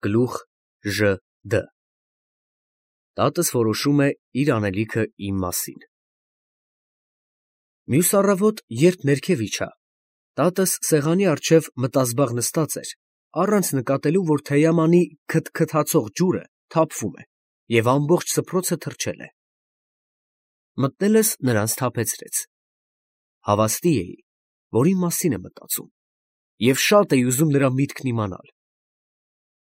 Գլուխ Ժ Դ Տատս որոշում է իր անելիքը իմ մասին։ Մյուս առավոտ, երբ ներքև իջա, տատս սեղանի առջև մտազբաղ նստած էր, առանց նկատելու, որ թեյամանի քթքթացող ջուրը թափվում է և ամբողջ սփռոցը թրջել է։ Մտնելս նրան սթափեցրեց։ Հավաստի էի, որ իմ մասին է մտածում, և շատ էի ուզում նրա միտքն իմանալ։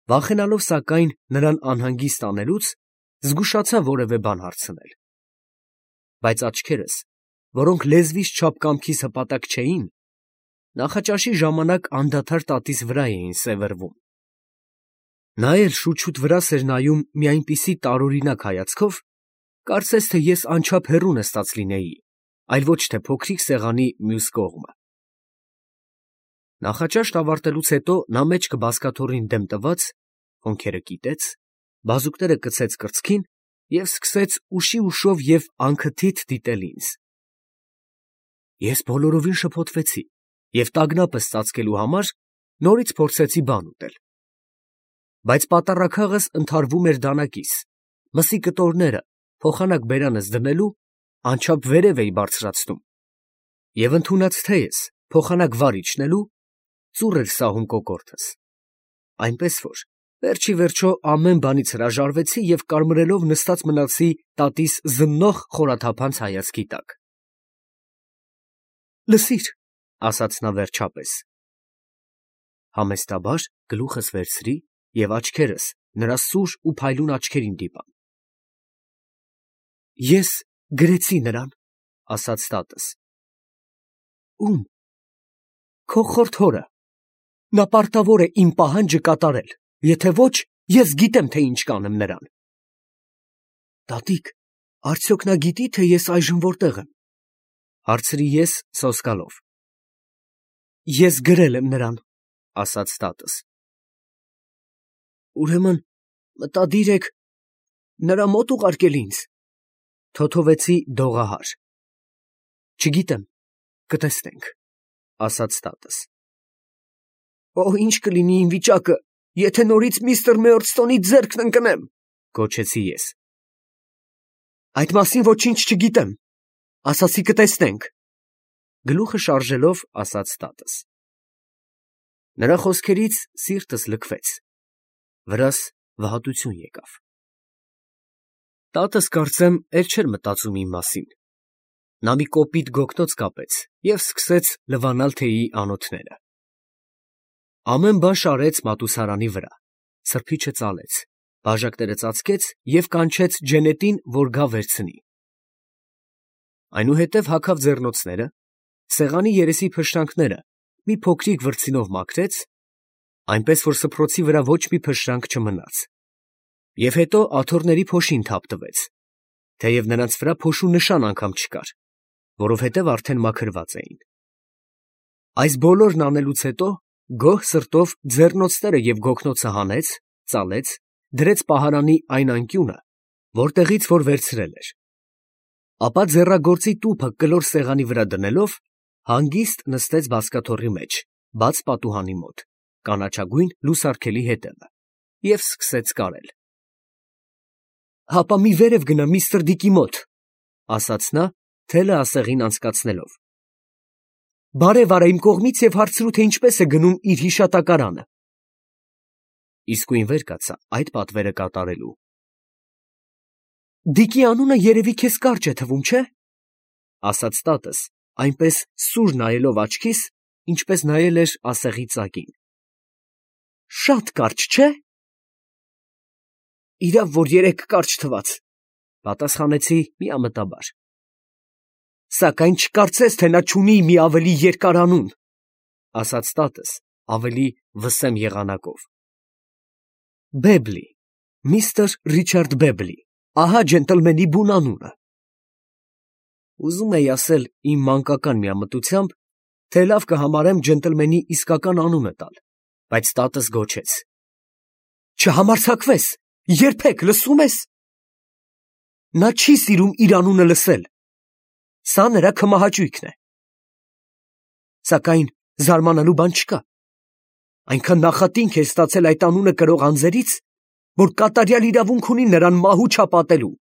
Վախենալով, սակայն, նրան անհանգիստ անելուց, զգուշացա որևէ բան հարցնել։ Բայց աչքերս, որոնք լեզվիս չափ կամքիս հպատակ չէին, նախաճաշի ժամանակ անդադար տատիս վրա էին սևեռվում։ Նա էլ շուտ-շուտ վրաս էր նայում մի այնպիսի տարօրինակ հայացքով, կարծես թե ես անչափ հեռու նստած լինեի, այլ ոչ թե փոքրիկ սեղանի մյուս կողմը։ Նախաճաշն ավարտելուց հետո նա մեջքը բազկաթոռին դեմ տված, հոնքերը կիտեց, բազուկները կցեց կրծքին և սկսեց ուշի ուշով և անքթիթ դիտել ինձ։ Ես բոլորովին շփոթվեցի և տագնապս ծածկելու համար նորից փորձեցի բան ուտել։ Բայց պատառաքաղս ընդհարվում էր դանակիս, մսի կտորները փոխանակ բերանս դնելու անչափ վերև էի բարձրացնում, և ընդունած թեյս փոխանակ վար իջնելու ծուռ էր սահում կոկորդս, այնպես որ վերջ ի վերջո ամեն բանից հրաժարվեցի և կարմրելով նստած մնացի տատիս զննող խորաթափանց հայացքի տակ։ «Լսիր», ասաց նա վերջապես։ Համեստաբար գլուխս վերցրի և աչքերս նրա սուր ու փայլուն աչքերին դիպա։ «Ես գրեցի նրան», ասաց տատս։ «Ո՞ւմ»։ «Քո խորթ հորը։ Նա պարտավոր է իմ պահանջը կատարել, եթե ոչ, ես գիտեմ, թե ինչ կանեմ նրան»։ «Տատիկ, արդյոք նա գիտի, թե ես այժմ որտեղ եմ», հարցրի ես սոսկալով։ «Ես գրել եմ նրան», ասաց տատս։ «Ուրեմն մտադիր եք նրա մոտ ուղարկել ինձ», թոթովեցի դողահար։ «Չգիտեմ, կտեսնենք», ասաց տատս։ «Օ, ինչ կլինի իմ վիճակը, եթե նորից միստր Մեորդստոնի ձեռքն ընկնեմ», գոչեցի ես։ «Այդ մասին ոչինչ չգիտեմ, ասացի կտեսնենք», գլուխը շարժելով ասաց տատս։ Նրա խոսքերից սիրտս լքվեց, վրաս վհատություն եկավ։ Տատս, կարծեմ, էլ չէր մտածում իմ մասին։ Նա մի կոպիտ գոգնոց կապեց և սկսեց լվանալ թեյի անոթները։ Ամեն բան շարեց մատուցարանի վրա, սրբիչը ծալեց, բաժակները ծածկեց և կանչեց ջենետին, որ գա վերցնի։ Այնուհետև հագավ ձեռնոցները, սեղանի երեսի փշրանքները մի փոքրիկ վրձինով մաքրեց, այնպես որ սփռոցի վրա ոչ մի փշրանք չմնաց, և հետո աթոռների փոշին թափ տվեց, թեև նրանց վրա փոշու նշան անգամ չկար, որովհետև արդեն մաքրված էին։ Այս բոլորն անելուց հետո գոհ սրտով ձեռնոցները և գոգնոցը հանեց, ծալեց, դրեց պահարանի այն անկյունը, որտեղից որ վերցրել էր, ապա ձեռագործի տուփը կլոր սեղանի վրա դնելով, հանգիստ նստեց բազկաթոռի մեջ, բաց պատուհանի մոտ, կանաչագույն լուսարգելի հետևը, և սկսեց կարել։ «Հապա մի վերև գնա միստր Դիկի մոտ», ասաց նա, թելը ասեղին անցկացնելով։ «Բարև արա իմ կողմից և հարցրու, թե ինչպես է գնում իր հիշատակարանը»։ Իսկույն վեր կացա այդ պատվերը կատարելու։ «Դիկի անունը երևի քեզ կարճ է թվում, չէ՞, ասաց տատս, այնպես սուր նայելով աչքիս, ինչպես նայել էր ասեղի ծակին։ «Շատ կարճ, չէ՞։ Իրավ, որ երեկ կարճ թվաց», պատասխանեցի միամտաբար։ «Սակայն չկարծես, թե նա չունի մի ավելի երկար անուն», ասաց տատս ավելի վսեմ եղանակով։ «Բեբլի, միստր Ռիչարդ Բեբլի, ահա ջենտլմենի բուն անունը»։ Ուզում էի ասել իմ մանկական միամտությամբ, թե լավ կհամարեմ ջենտլմենի իսկական անունը տալ, բայց տատս գոչեց. «Չհամարձակվես, երբեք, լսո՞ւմ ես։ Նա չի սիրում իր անունը լսել, սա նրա քմահաճույքն է։ Սակայն զարմանալու բան չկա, այնքան նախատինք է ստացել այդ անունը կրող անձերից, որ կատարյալ իրավունք ունի նրան մահու չապատելու։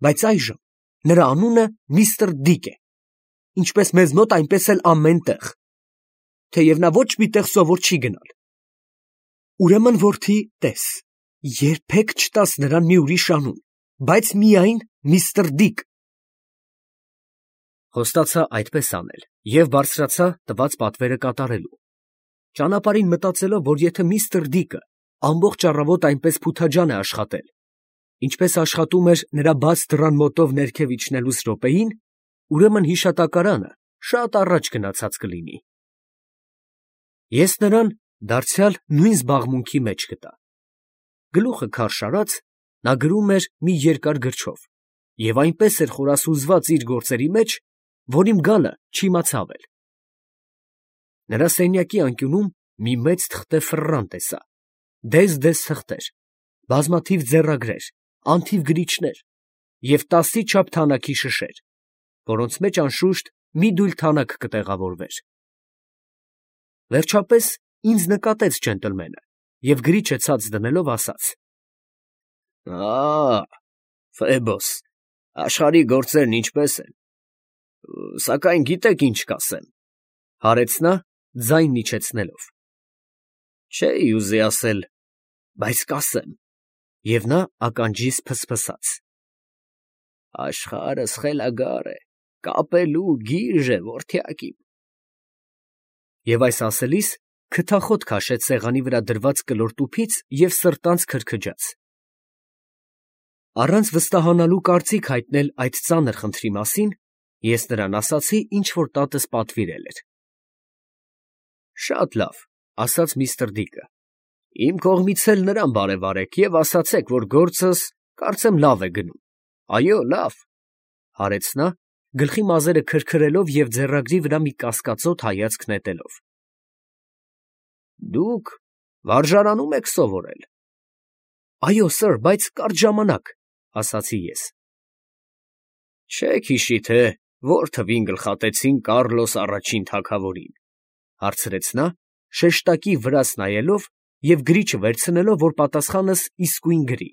Բայց այժմ նրա անունը միստր Դիկ է, ինչպես մեզ մոտ, այնպես էլ ամեն տեղ, թեև նա ոչ մի տեղ սովոր չի գնալ։ Ուրեմն, որդի, տես, երբեք չտաս նրան մի ուրիշ անուն, բայց միայն միստր Դիկ։ Խոստացա այդպես անել և բարձրացա տված պատվերը կատարելու, ճանապարհին մտածելով, որ եթե միստր Դիկը ամբողջ առավոտ այնպես փութաջան է աշխատել, ինչպես աշխատում էր նրա բաց դռան մոտով ներքև իջնելուց րոպեին, ուրեմն հիշատակարանը շատ առաջ գնացած կլինի։ Ես նրան դարձյալ նույն զբաղմունքի մեջ գտա։ Գլուխը քարշ արած, նա գրում էր մի երկար գրչով և այնպես էր խորասուզված իր գործերի մեջ, որ իմ գալը չիմացավ էլ։ Նրա սենյակի անկյունում մի մեծ թղթե ֆռռան տեսա, դես թղթեր, բազմաթիվ ձեռագրեր, անթիվ գրիչներ և 10-ի չափ թանաքի շշեր, որոնց մեջ անշուշտ մի դույլ թանաք կտեղավորվեր։ Վերջապես ինձ նկատեց ջենտլմենը և գրիչը ցած դնելով ասաց. Ֆեբոս, աշխարհի գործերն ինչպե՞ս են, սակայն գիտեք ինչ կասեմ, հարեց նա ձայն իջեցնելով։ Չէի ուզի ասել, բայց կասեմ, և նա ականջիս ֆսֆսաց. աշխարհը սխելագար է, կապելու գիժ է, որդյակ իմ։ Եվ այս ասելիս քթախոտ քաշեց սեղանի վրա դրված կլոր տուփից և սրտանց քրքջաց։ Առանց վստահանալու կարծիք հայտնել այդ ծանր խնդրի մասին, ես նրան ասացի, ինչ որ տատս պատվիրել էր։ Շատ լավ, ասաց միստր Դիկը, իմ կողմից էլ նրան բարևարեք և ասացեք, որ գործս կարծեմ լավ է գնում։ Այո, լավ, հարեց նա, գլխի մազերը քրքրելով և ձեռագրի վրա մի կասկածոտ հայացք նետելով։ Դուք վարժարանում եք սովորել։ Այո, սըր, բայց կարճ ժամանակ, ասացի ես։ Չեք հիշի, թե որ թվին գլխատեցին Կառլոս առաջին թագավորին, հարցրեց նա, շեշտակի վրաս նայելով և գրիչը վերցնելով, որ պատասխանս իսկույն գրի։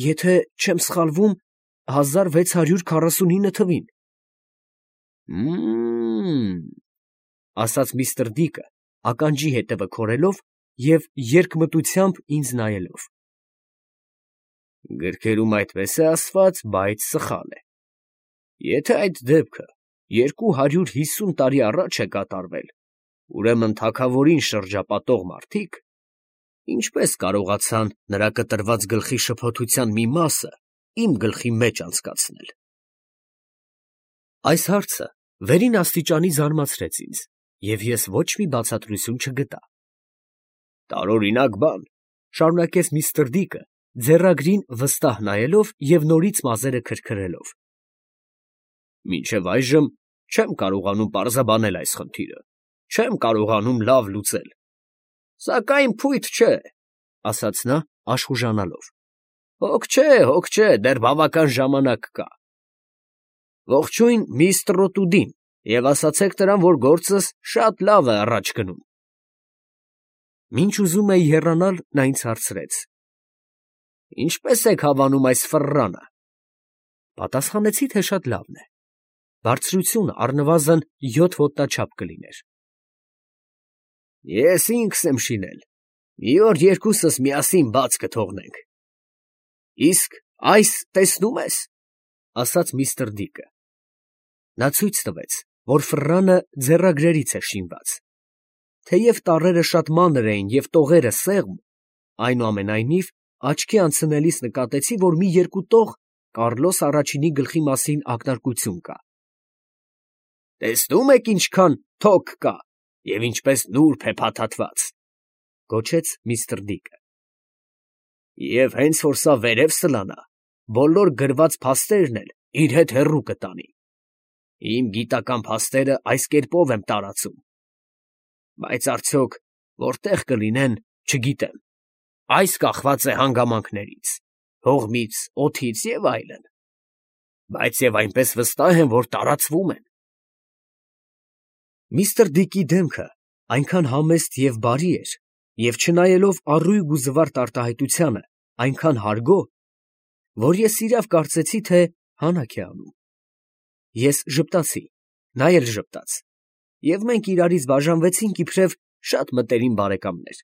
Եթե չեմ սխալվում, 1649 թվին։ Ասաց միստր Դիկը, ականջի հետևը քորելով և երկմտությամբ ինձ նայելով։ Գրքերում այդպես է ասված, բայց սխալ է։ Եթե այդ դեպքը 250 տարի առաջ է կատարվել, ուրեմն թագավորին շրջապատող մարդիկ ինչպես կարողացան նրա կտրված գլխի շփոթության մի մասը իմ գլխի մեջ անցկացնել։ Այս հարցը վերին աստիճանի զարմացրեց ինձ, և ես ոչ մի բացատրություն չգտա։ Տարօրինակ բան, շարունակեց միստր Դիկը, ձեռագրին վստահ նայելով և նորից մազերը քրքրելով։ Մինչև այժմ չեմ կարողանում պարզաբանել այս խնդիրը, չեմ կարողանում լավ լուծել։ Սակայն փույթ չէ, ասաց նա աշխուժանալով։ Հոգ չէ, դեռ բավական ժամանակ կա։ Ողջույն միստր Ռոտուդին և ասացեք նրան, որ գործս շատ լավ է առաջ գնում։ Մինչ ուզում էի հեռանալ, նա ինձ հարցրեց. Ինչպե՞ս եք հավանում այս ֆռռանը։ Պատասխանեցի, թե շատ լավն է։ Բարձրությունը առնվազն 7 ոտնաչափ կլիներ։ Ես ինքս եմ շինել։ Մի օր երկուսս միասին բաց կթողնենք։ Իսկ այս տեսնում ես, ասաց միստր Դիկը։ Նա ցույց տվեց, որ ֆռռանը ձեռագրերից է շինված։ Թեև տառերը շատ մանր էին և տողերը սեղմ, այնուամենայնիվ աչքի անցնելիս նկատեցի, որ մի երկու տող Կառլոս առաջինի գլխի մասին ակնարկություն կա։ Տեսնում եք ինչքան թոք կա և ինչպես նուրբ է փաթաթված, գոչեց միստր Դիկը։ Եվ հենց որ սա վերև սլանա, բոլոր գրված փաստերն էլ իր հետ հեռու կտանի։ Իմ գիտական փաստերը այս կերպով եմ տարածում։ Բայց արդյոք որտեղ կլինեն, չգիտեմ։ Այս կախված է հանգամանքներից, հողմից, օդից և այլն։ Բայց և այնպես վստահ եմ, որ տարածվում են։ Միստր Դիկի դեմքը այնքան համեստ և բարի էր, և չնայելով առույգ ու զվարթ արտահայտությանը, այնքան հարգո, որ ես իրավ կարծեցի, թե հանաք է անում։ Ես ժպտացի, նա էլ ժպտաց, և մենք իրարից բաժանվեցինք իբրև շատ մտերիմ բարեկամներ։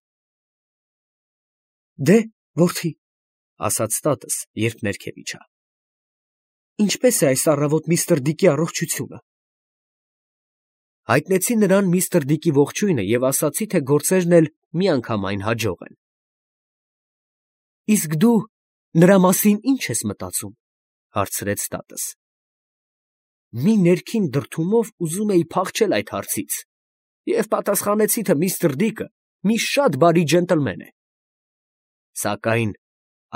«Դե, որդի, ֊ ասաց տատս, երբ ներքև իջա, ֊ ինչպե՞ս է այս առավոտ միստր Դիկի առողջությունը»։ Հայտնեցի նրան միստր Դիկի ողջույնը և ասացի, թե գործերն էլ միանգամայն հաջող են։ «Իսկ դու նրա մասին ի՞նչ ես մտածում, ֊ հարցրեց տատս։ Մի ներքին դրդումով ուզում էի փախչել այդ հարցից և պատասխանեցի, թե միստր Դիկը մի շատ բարի ջենտլմեն է, սակայն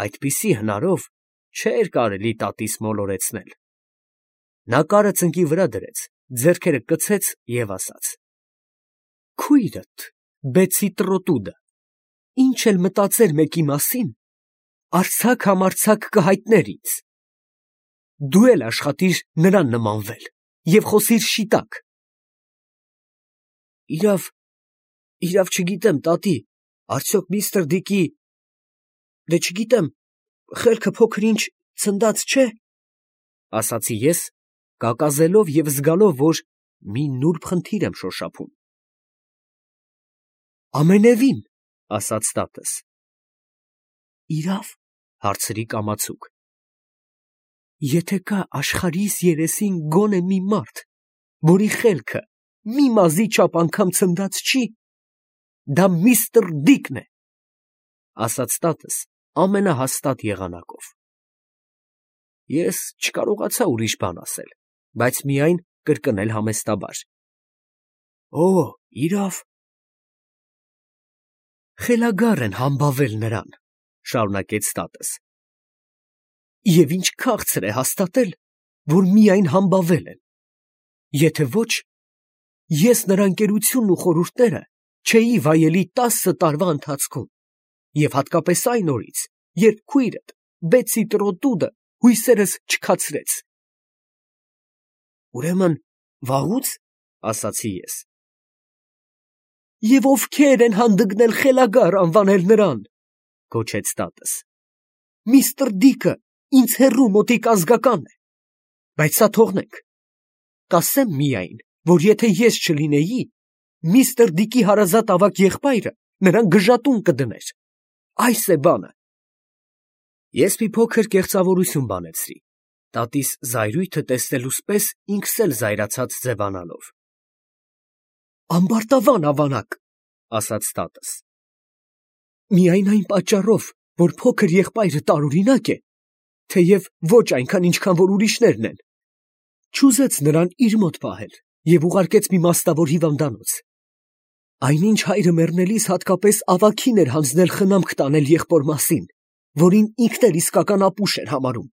այդպիսի հնարով չէր կարելի տատիս մոլորեցնել։ Նա կարը ծնկի վրա դրեց, ձեռքերը կցեց և ասաց. «Քույրդ, բեցի տրոտուդը, ինչ էլ մտածեր մեկի մասին, արձակ֊համարձակ կհայտներ ինձ։ Դու էլ աշխատիր նրան նմանվել և խոսիր շիտակ»։ Իրավ չգիտեմ, տատի, արդյոք միստր Դիկի… դե չգիտեմ, խելքը փոքր֊ինչ ցնդած չէ, ֊ ասացի ես, կակազելով և զգալով, որ մի նուրբ խնդիր եմ շոշափում։ «Ամենևին, ֊ ասաց տատս։ ֊ Իրավ, ֊ հարցրի կամացուկ։ Եթե կա աշխարհիս երեսին գոնե մի մարդ, որի խելքը մի մազի չափ անգամ ցնդած չի, դա միստր Դիկն է, ֊ ասաց տատս ամենահաստատ եղանակով։ Ես չկարողացա ուրիշ բան ասել, բայց միայն կրկնել համեստաբար. «Օ, իրավ»։ «Խելագար են համբավել նրան, ֊ շարունակեց տատս, ֊ և ինչ քաղցր է հաստատել, որ միայն համբավել են. եթե ոչ, ես նրա ընկերությունն ու խորհուրդները չէի վայելի 10 տարվա ընթացքում և հատկապես այն օրից, երբ քույրդ բեցի տրոտուդը հույսերս չքացրեց»։ «Ուրեմն վաղո՞ւց, ֊ ասացի ես։ ֊ Եվ ովքե՞ր են հանդգնել խելագար անվանել նրան, ֊ գոչեց տատս։ Միստր Դիկը ինձ հեռու մոտիկ ազգական է, բայց սա թողնենք, կասեմ միայն, որ եթե ես չլինեի, միստր Դիկի հարազատ ավագ եղբայրը նրան գժատուն կդներ, այս է բանը։ Ես մի փոքր կեղծավորություն բանեցրի, տատիս զայրույթը տեսնելուս պես ինքս էլ զայրացած ձևանալով։ «Ամբարտավան ավանակ, ֊ ասաց տատս, ֊ միայն այն պատճառով, որ փոքր եղբայրը տարօրինակ է, թեև ոչ այնքան, ինչքան որ ուրիշներն են, չուզեց նրան իր մոտ պահել և ուղարկեց մի մասնավոր հիվանդանոց։ Այնինչ հայրը մեռնելիս հատկապես ավագին էր հանձնել խնամք տանել եղբոր մասին, որին ինքն էլ իսկական ապուշ էր համարում։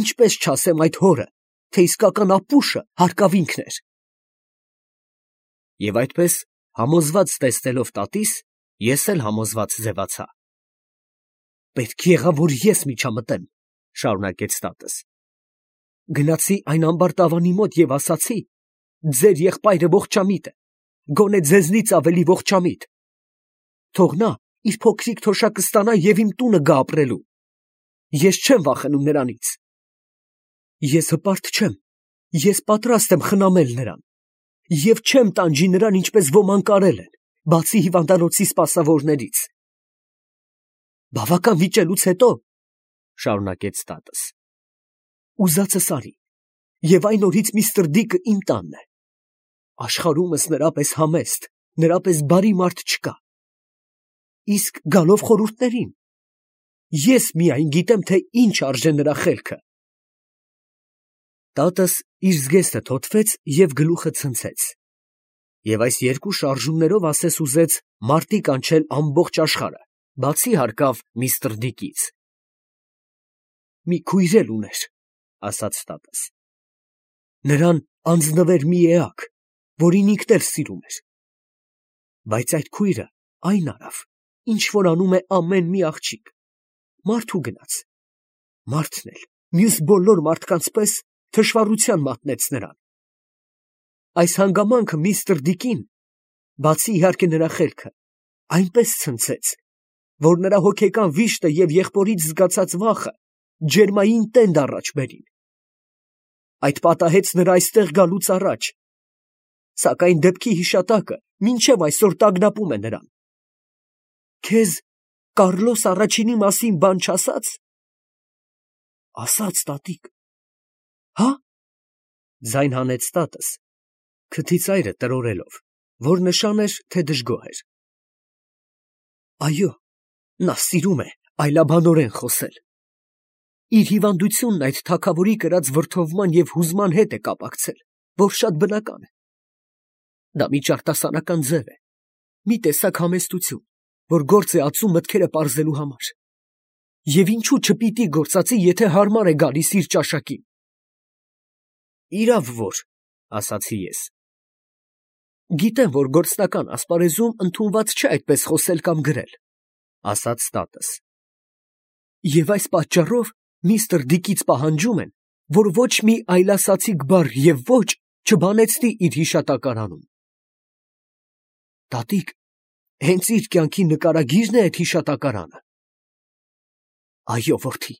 Ինչպես չասեմ այդ հորը, թե իսկական ապուշը հարկավ ինքն էր։ Եվ այդպես համոզված տեսնելով տատիս, ես էլ համոզված ձևացա։ «Պետք եղավ, որ ես միջամտեմ, ֊ շարունակեց տատս։ Գնացի այն ամբարտավանի մոտ և ասացի. ձեր եղբայրը ողջամիտ է, գոնե ձեզնից ավելի ողջամիտ։ Թող նա իր փոքրիկ թոշակը ստանա և իմ տունը գա ապրելու։ Ես չեմ վախենում նրանից։ Ես հպարտ չեմ, ես պատրաստ եմ խնամել նրան և չեմ տանջի նրան, ինչպես ոմանք արել են, բացի հիվանդանոցի սպասավորներից։ Բավական վիճելուց հետո, ֊ շարունակեց տատս, ֊ ուզածս արի, և այն օրից միստր Դիկը իմ տանն է։ Աշխարհումս նրա պես համեստ, նրա պես բարի մարդ չկա։ Իսկ գալով խորհուրդներին, ես միայն գիտեմ, թե ինչ արժե նրա խելքը։ Տատս իր զգեստը թոթվեց և գլուխը ցնցեց, և այս երկու շարժումներով ասես ուզեց մարտի կանչել ամբողջ աշխարհը, բացի հարկավ միստր Դիկից։ Մի քույր էլ ուներ, ֊ ասաց տատս։ Նրան անձնվեր մի էակ, որին ինքն էլ սիրում էր։ Բայց այդ քույրը այն արավ, ինչ որ անում է ամեն մի աղջիկ, մարդու գնաց, մարդն էլ մյուս բոլոր մարդկանց պես թշվառության մատնեց նրան։ Այս հանգամանքը միստր Դիկին բացի իհարկե նրա խելքը, այնպես ցնցեց, որ նրա հոգեկան վիշտը և եղբորից զգացած վախը ջերմային տենդ առաջ բերին։ Այդ պատահեց նրա այստեղ գալուց առաջ, սակայն դեպքի հիշատակը մինչև այսօր տագնապում է նրան։ Քեզ Կառլոս առաջինի մասին բան չասա՞ց։ Ասաց, տատիկ։ Հա՞։ Ձայն հանեց տատս, քթի ծայրը տրորելով, որ նշան էր, թե դժգոհ էր։ Այո, նա սիրում է այլաբանորեն խոսել։ Իր հիվանդությունն այդ թագավորի կրած վրդովման և հուզման հետ է կապակցել, որ շատ բնական է։ Դա մի ճարտասանական ձև է, մի տեսակ համեստություն, որ գործ է ածում մտքերը պարզելու համար։ Եվ ինչու չպիտի գործածի, եթե հարմար է գալիս իր ճաշակին։ Իրավ որ, ասացի ես։ Գիտեմ, որ գործնական ասպարեզում ընդունված չէ այդպես խոսել կամ գրել, ասաց տատս։ Եվ այս պատճառով միստր Դիկից պահանջում են, որ ոչ մի այլասացիկ բառ և ոչ չբանեցնի իր հիշատակարանում։ Տատիկ, հենց իր կյանքի նկարագի՞րն է այդ հիշատակարանը։ Այո, որդի,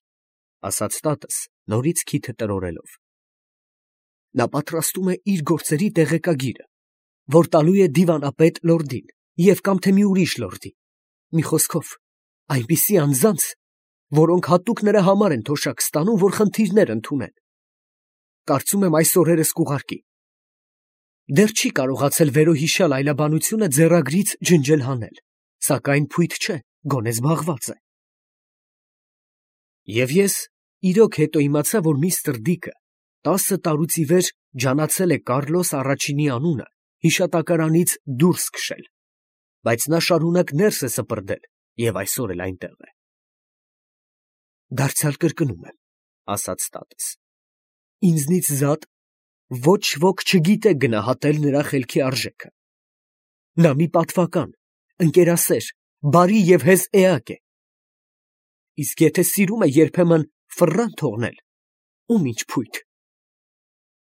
ասաց տատս, նորից քիթը տրորելով։ Նա պատրաստում է իր գործերի տեղեկագիրը, որ տալու է դիվանապետ լորդին և կամ թե մի ուրիշ լորդի, մի խոսքով, այնպիսի անձանց, որոնք հատուկ նրա համար են թոշակ ստանում, որ խնդիրներ ընդունեն։ Կարծում եմ այս օրերս կուղարկի։ Դեռ չի կարողացել վերոհիշյալ այլաբանությունը ձեռագրից ջնջել հանել, սակայն փույթ չէ, գոնե զբաղված է։ Եվ ես իրոք հետո իմացա, որ միստր Դիկը 10 տարուց ի վեր ջանացել է Կառլոս առաջինի անունը հիշատակարանից դուրս քշել, բայց նա շարունակ ներս է սպրդել և այսօր էլ այնտեղ է։ Դարձյալ կրկնում եմ, ասաց տատս, ինձնից զատ ոչ ոք չգիտե գնահատել նրա խելքի արժեքը։ Նա մի պատվական, ընկերասեր, բարի և հեզ էակ է։ Իսկ եթե սիրում է երբեմն ֆռան թողնել, ում ինչ փույթ։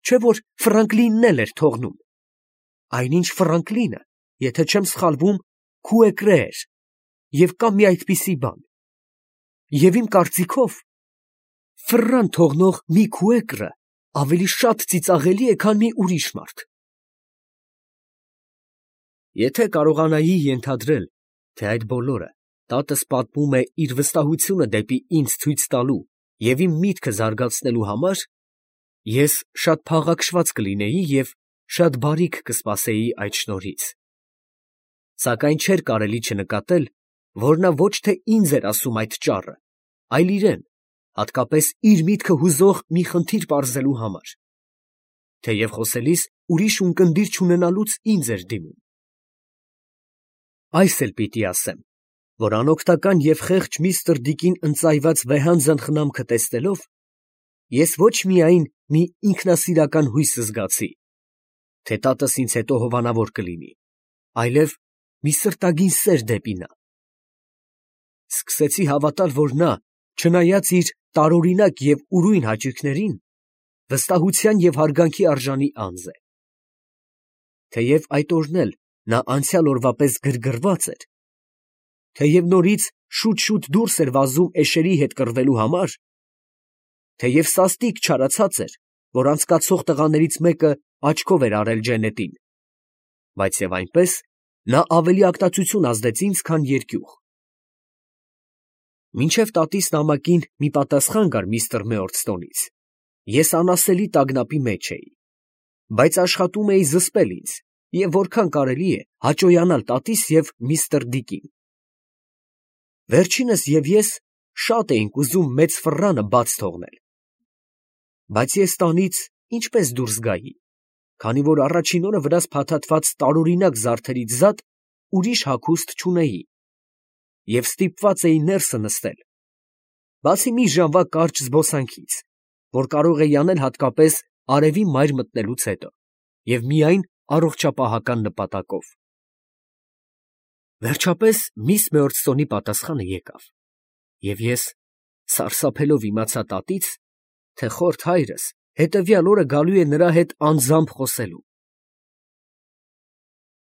Չէ՞ որ Ֆրանկլինն էլ էր թողնում։ Այնինչ Ֆրանկլինը, եթե չեմ սխալվում, քուեկրե էր, և կա մի այդպիսի բան։ Եվ իմ կարծիքով, ֆռան թողնող մի քուեկրը ավելի շատ ծիծաղելի է, քան մի ուրիշ մարդ։ Եթե կարողանայի ենթադրել, թե այդ բոլորը տատս պատմում է իր վստահությունը դեպի ինձ ցույց տալու և իմ միտքը զարգացնելու համար, ես շատ փաղաքշված կլինեի և շատ բարիք կսպասեի այդ շնորհից։ Սակայն չէր կարելի չնկատել, որ նա ոչ թե ինձ էր ասում այդ ճառը, այլ իրեն, հատկապես իր միտքը հուզող մի խնդիր պարզելու համար, թեև խոսելիս ուրիշ ունկնդիր չունենալուց ինձ էր դիմում։ Այս էլ պիտի ասեմ, որ անօգնական և խեղճ միստր Դիկին ընծայված վեհանձն խնամքը տեսնելով, ես ոչ միայն մի ինքնասիրական հույս զգացի, թե տատս ինձ հետո հովանավոր կլինի, այլև մի սրտագին սեր դեպի նա։ Սկսեցի հավատալ, որ նա, չնայած իր տարօրինակ և ուրույն հաճույքներին, վստահության և հարգանքի արժանի անձ է։ Թեև այդ օրն էլ նա անցյալ օրվա պես գրգռված էր, թեև նորից շուտ-շուտ դուրս էր վազում էշերի հետ կռվելու համար, թեև սաստիկ չարացած էր, որ անցկացող տղաներից մեկը աչքով էր արել ջենետին, բայց և այնպես նա ավելի ակտացություն ազդեց ինձ, քան երկյուղ։ Մինչև տատիս նամակին մի պատասխան գար միստր Մեորդստոնից, ես անասելի տագնապի մեջ էի, բայց աշխատում էի զսպել ինձ և որքան կարելի է հաճոյանալ տատիս և միստր Դիկին։ Վերջինս և ես շատ էինք ուզում մեծ ֆռանը բաց թողնել, բայց ես տանից ինչպես դուրս գայի, քանի որ առաջին օրը վրաս փաթաթված տարօրինակ զարդերից զատ ուրիշ հագուստ չունեի և ստիպված էի ներսը նստել, բացի մի ժամվա կարճ զբոսանքից, որ կարող էի անել հատկապես արևի մայր մտնելուց հետո և միայն առողջապահական նպատակով։ Վերջապես միս Մեորդստոնի պատասխանը եկավ, և ես սարսափելով իմացա տատից, թե խորթ հայրս հետևյալ օրը գալու է նրա հետ անձամբ խոսելու։